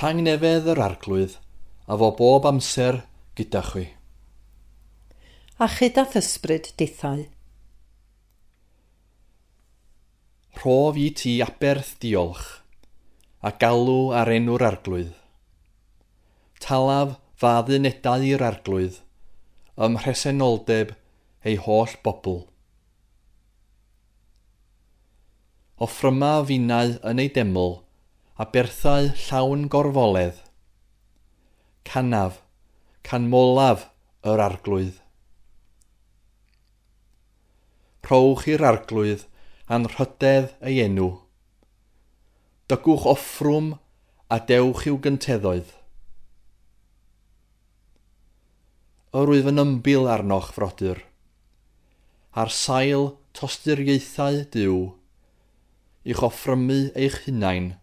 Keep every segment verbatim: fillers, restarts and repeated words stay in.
Tangnefedd yr Arglwydd, a fo bob amser gyda chwi. A chyda thysbryd dithau. Rhof i ti aberth diolch, a galw ar enw'r Arglwydd. Talaf faddunedau i'r Arglwydd, ym mhresenoldeb ei holl bobl. Offryma finnau yn ei deml, a berthau llawn gorfoledd. Canaf, canmolaf yr Arglwydd. Rhowch i'r Arglwydd anrhydedd ei enw. Dygwch offrwm a dewch i'w gynteddoedd. Yr wyf yn ymbil arnoch, frodyr, ar sail tosturiaethau Duw, i'ch offrymu eich hunain,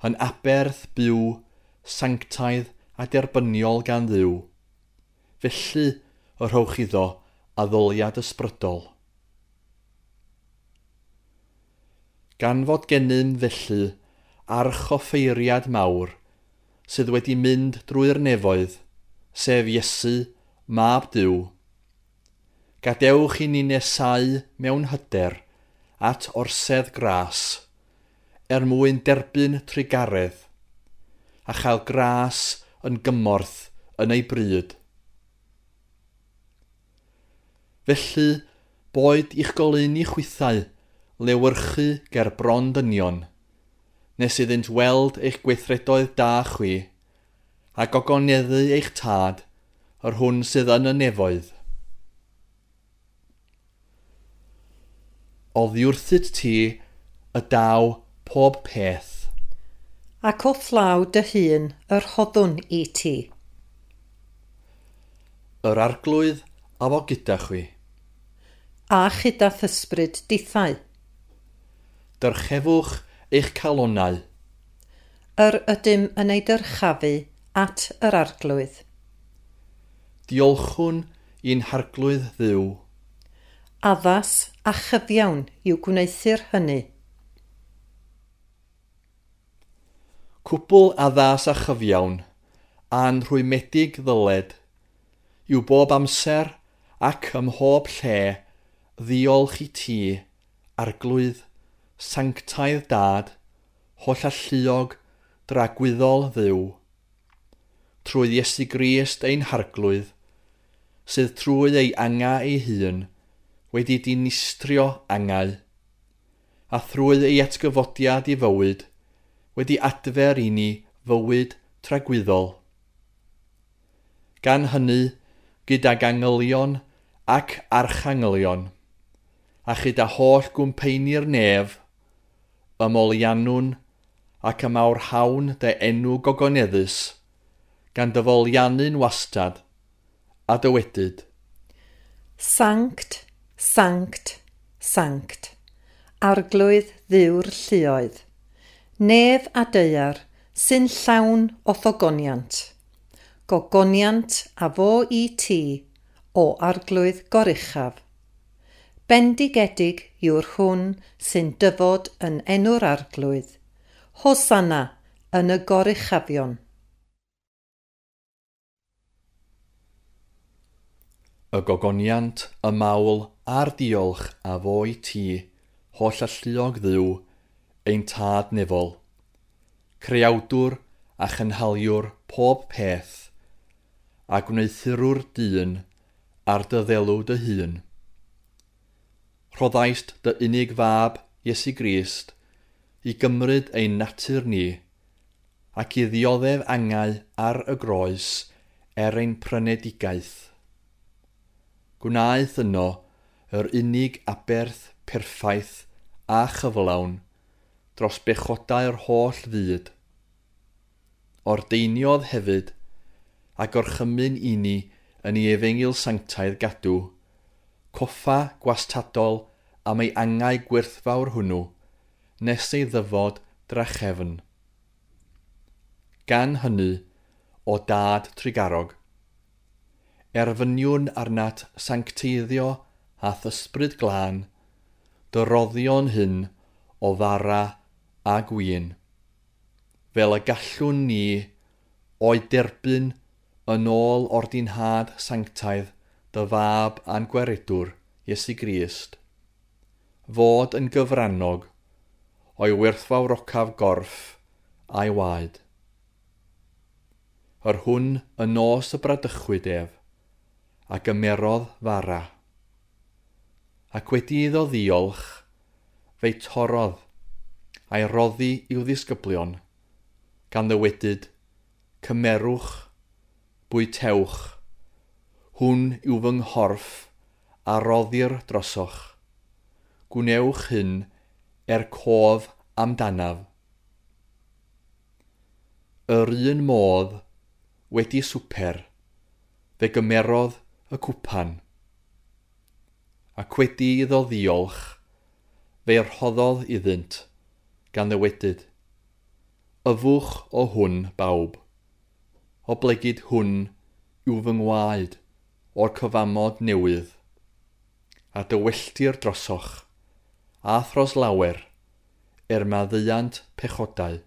yn aberth byw, sanctaidd a derbyniol gan Dduw. Felly y rhowch iddo addoliad ysbrydol. Gan fod gennym felly archoffeiriad mawr sydd wedi mynd drwy'r nefoedd, sef Iesu, mab Duw, gadewch i ni nesáu mewn hyder at orsedd gras, er mwyn derbyn trugaredd, a chael gras yn gymorth yn ei bryd. Felly, boed i'ch goleuni chwithau lewyrchu ger bron dynion, nes iddynt weld eich gweithredoedd da chwi, a gogoneddu eich tad, yr hwn sydd yn y nefoedd. Oddi wrthyt ti y daw pob peth. Ac o llaw dy hun yr rhoddwn i ti. Yr Arglwydd a fo gyda chwi. A chyda thysbryd dithau. Dyrchefwch eich calonnau. Yr ydym yn ei dyrchafu at yr Arglwydd. Diolchwn i'n Harglwydd Dduw. Addas a chyfiawn yw gwneuthur hynny. Cwbl addas a chyfiawn, a'n rhwymedig ddyled, yw bob amser ac ym mhob lle ddiolch i ti, Arglwydd, sanctaidd Dad, hollalluog, dragwyddol Dduw, trwy Iesu Grist ein Harglwydd, sydd trwy ei angau ei hun wedi dinistrio angau, a thrwy ei atgyfodiad i fywyd wedi adfer i ni fywyd tragwyddol. Gan hynny, gydag angylion ac archangylion, a chyda holl gwmpeini'r nef, ymoliannwn ac ymawrhawn dy enw gogoneddus, gan dyfoliannu'n wastad, a dywedyd. Sanct, sanct, sanct, Arglwydd Dduw'r lluoedd, nef a daear sy'n llawn o ddogoniant. Gogoniant a fo i ti, o Arglwydd goruchaf. Bendigedig yw'r hwn sy'n dyfod yn enw'r Arglwydd. Hosanna yn y goruchafion. Y gogoniant, y mawl a'r diolch a fo i ti, hollalluog Dduw, ein tad nefol, creawdwr a chynhaliwr pob peth, a gwneuthurwr dyn ar dy ddelw dy hun. Rhoddaist dy unig fab, Iesu Grist, i gymryd ein natur ni, ac i ddioddef angau ar y groes er ein prynedigaeth. Gwnaeth yno yr unig aberth perffaith a chyflawn dros bechodau'r holl fyd. Ordeiniodd hefyd a gorchymyn i ni yn ei efengyl sanctaidd gadw, coffa gwastadol am ei angau gwerthfawr hwnnw, nes ei ddyfod drachefn. Gan hynny, o dad trugarog, erfyniwn arnat sancteiddio a thysbryd glân, dy roddion hyn o fara a gwin. fel y gallwn ni o'i derbyn yn ôl ordinhad sanctaidd dy fab a'n gwaredwr, Iesu Grist, fod yn gyfrannog o'i werthfawrocaf gorff a'i waed. Yr hwn y nos y bradychwyd ef, a gymerodd fara. Ac wedi iddo ddiolch, fe'i torrodd, a'i roddi i'w ddisgyblion, gan ddywedyd, cymerwch, bwytewch, hwn yw fy nghorff a roddir drosoch. Gwnewch hyn er cof amdanaf. Yr un modd, wedi swper, fe gymerodd y cwpan. Ac wedi iddo ddiolch, fe'i rhoddodd iddynt, gan ddywedyd, yfwch o hwn bawb, oblegid hwn yw fy ngwaed o'r cyfamod newydd, a dywelltir drosoch, a thros lawer, er maddeuant pechodau.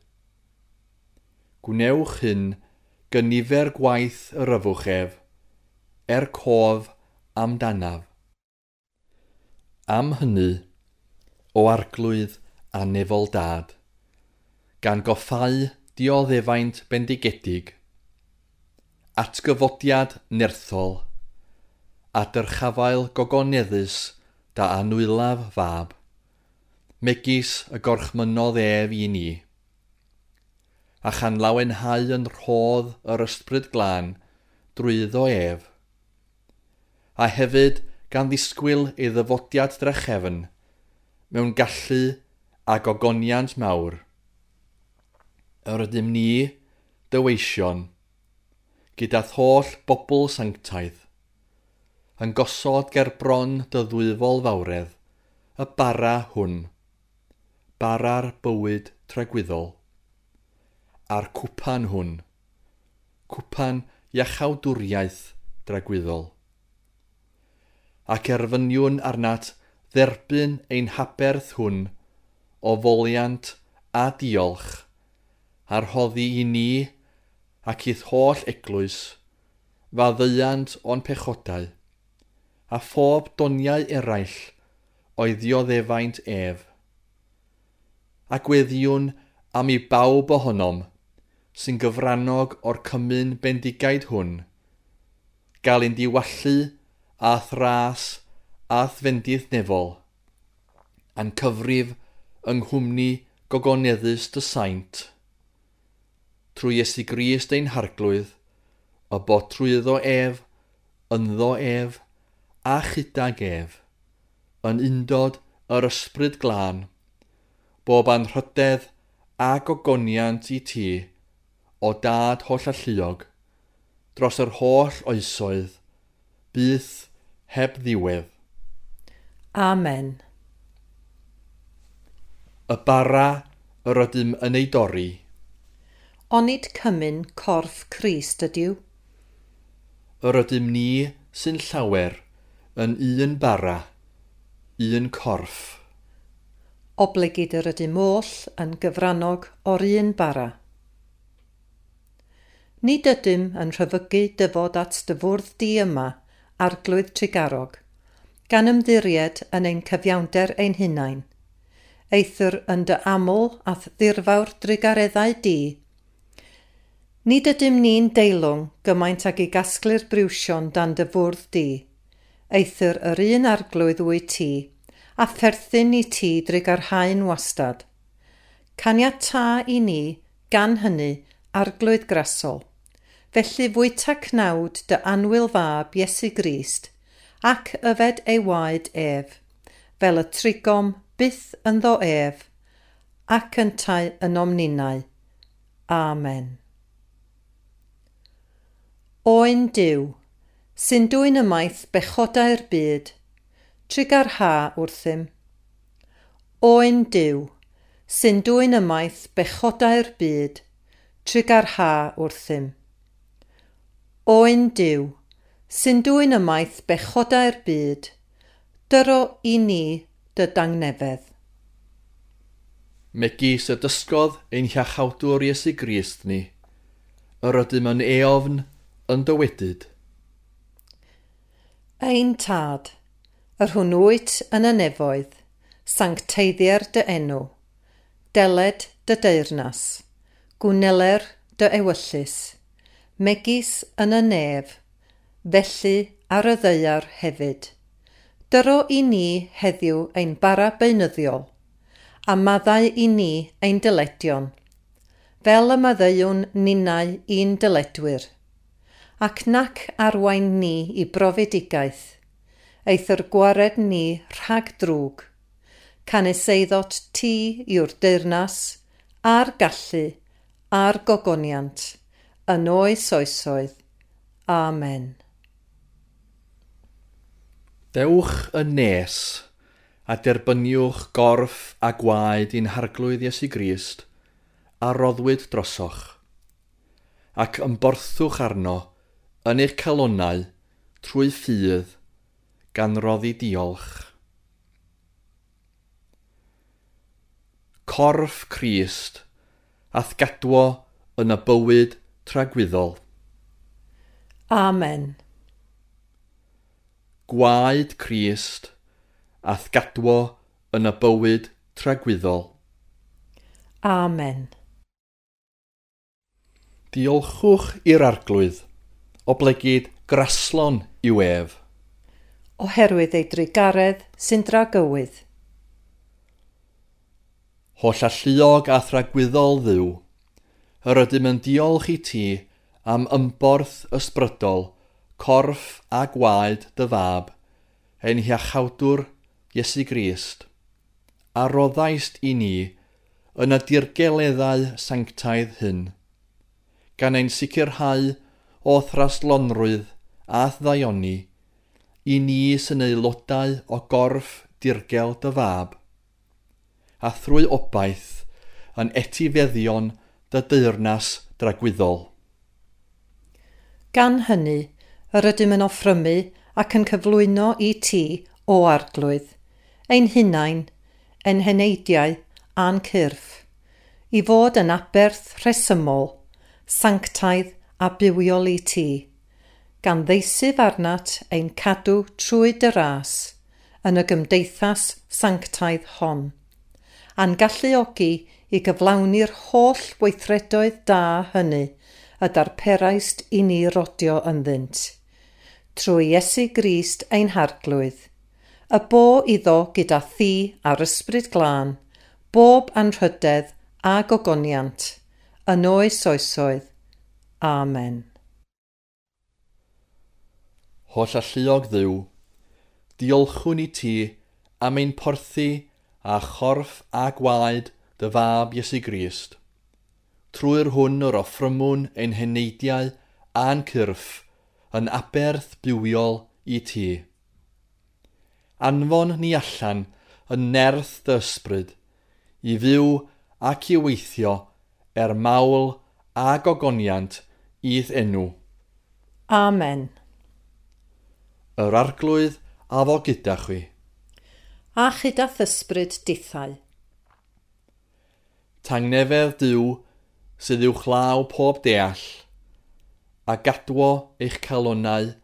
Gwnewch hyn gynifer gwaith yr yfwch ef, er cof amdanaf. Am hynny, o Arglwydd a nefol dad, gan goffau dioddefaint bendigedig, atgyfodiad nerthol, a dyrchafael gogoneddus da anwylaf fab, megis y gorchmynnodd ef i ni, a chan lawenhau yn rhodd yr ysbryd glân drwyddo ef, a hefyd gan ddisgwyl ei ddyfodiad drachefn mewn gallu a gogoniant mawr. Yr ydym ni, dy weision, gyda'r holl bobl sanctaidd, yn gosod ger bron dy ddwyfol fawredd, y bara hwn, bara'r bywyd tragwyddol, a'r cwpan hwn, cwpan iachawdwriaeth dragwyddol. Ac erfyniwn arnat dderbyn ein haberth hwn o foliant a diolch, a rhoddi i ni ac i'th holl eglwys, faddeuant o'n pechodau, a phob doniau eraill o'i ddioddefaint ef. A gweddiwn am i bawb ohonom sy'n gyfrannog o'r cymun bendigaid hwn, gael ein diwallu a thras a fendith nefol, a'n cyfrif yng nghwmni gogoneddus dy saint, trwy Iesu Grist ein Harglwydd, y bod trwyddo ef, ynddo ef, a chydag ef, yn undod yr ysbryd glân, bob anrhydedd a gogoniant i ti, o dad holl alluog, dros yr holl oesoedd, byth heb ddiwedd. Amen. Y bara yr ydym yn ei dorri. Onid cymun corff Crist ydyw? Yr ydym ni sy'n llawer yn un bara, un corff. Oblegid yr ydym oll yn gyfrannog o'r un bara. Nid ydym yn rhyfygu dyfod at dy fwrdd di yma, Arglwydd Trugarog, gan ymddiried yn ein cyfiawnder ein hunain. Eithr yn dy aml a'th ddirfawr drugareddau di. Nid ydym ni'n deilwng gymaint ag i gasglu'r briwsion dan dy fwrdd di. Eithr yr un Arglwydd wyt ti, a pherthyn i ti drugarhau'n wastad. Caniatâ i ni, gan hynny, Arglwydd grasol. Felly fwyta cnawd dy annwyl fab Iesu Grist, ac yfed ei waed ef, fel y trigom byth ynddo ef, ac yntau ynom ninnau. Amen. Oen Duw, sy'n dwyn ymaith bechodau'r byd, trugarha wrthym. Oen Duw, sy'n dwyn ymaith bechodau'r byd, trugarha wrthym. Oen Duw, sy'n dwyn ymaith bechodau'r byd, dyro i ni dy dangnefedd. Megis y dysgodd ein Hiachawdwr Iesu Grist ni, yr ydym yn eofn yn dywedyd. Ein Tad, yr hwn wyt yn y nefoedd, sancteiddier dy enw, deled dy deyrnas, gwneler dy ewyllys, megis yn y nef, felly ar y ddaear hefyd. Dyro i ni heddiw ein bara beunyddiol, a maddau i ni ein dyledion, fel y maddeuwn ninnau i'n dyledwyr, ac nac arwain ni i brofedigaeth, eithr gwared ni rhag drwg, canys eiddot ti yw'r deyrnas, a'r gallu, a'r gogoniant, yn oes oesoedd. Amen. Dewch yn nes a derbyniwch gorff a gwaed i'n Harglwydd Iesu Grist a roddwyd drosoch, ac ymborthwch arno yn eich calonnau trwy ffydd gan roddi diolch. Corff Crist a'th gadwo yn y bywyd tragwyddol. Amen. Gwaed Crist a'th gadwo yn y bywyd tragwyddol. Amen. Diolchwch i'r Arglwydd, oblegid graslon yw ef. Oherwydd ei drugaredd sy'n dragywydd. Holl alluog a thragwyddol Dduw, yr ydym yn diolch i ti am ymborth ysbrydol, corff a gwaed dy fab, ein Hiachawdwr Iesu Grist, a roddaist i ni yn y dirgeleddau sanctaidd hyn, gan ein sicrhau o thraslonrwydd a ddaioni, i ni sy'n aelodau o gorff dirgel dy fab, a thrwy obaith yn etifeddion dy deyrnas dragwyddol. Gan hynny, yr ydym yn offrymu ac yn cyflwyno i ti, o Arglwydd, ein hunain, ein heneidiau a'n cyrff, i fod yn aberth rhesymol, sanctaidd a bywiol i ti, gan ddeisyf arnat ein cadw trwy dy ras yn y gymdeithas sanctaidd hon, a'n galluogi i gyflawni'r holl weithredoedd da hynny y darperaist i ni rodio ynddynt, trwy Iesu Grist ein Harglwydd, y bo iddo gyda thi a'r Ysbryd Glân, bob anrhydedd a gogoniant, yn oes oesoedd. Amen. Holl alluog Dduw, diolchwn i ti am ein porthi a chorff a gwaed dy fab Iesu Grist. Trwy'r hwn yr offrymwn ein heneidiau a'n cyrff yn aberth bywiol i ti. Anfon ni allan yn nerth dy ysbryd, i fyw ac i weithio er mawl a gogoniant i'th enw. Amen. Yr Arglwydd a fo gyda chwi. A chyda ysbryd dithau. Tangnefedd Duw sydd uwchlaw pob deall, a gadwo eich calonnau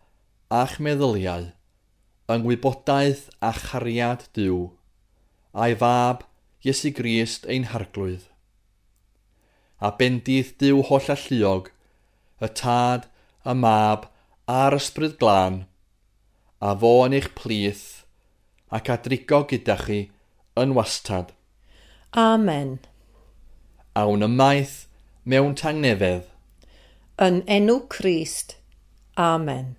a'ch meddyliau yng ngwybodaeth a chariad Duw, a'i fab Iesu Grist ein Harglwydd. A bendith Duw holl alluog, y Tad, y Mab a'r Ysbryd Glân, a fo yn eich plith ac a drigo gyda chi yn wastad. Amen. Awn ymaith mewn tangnefedd. Yn enw Crist. Amen.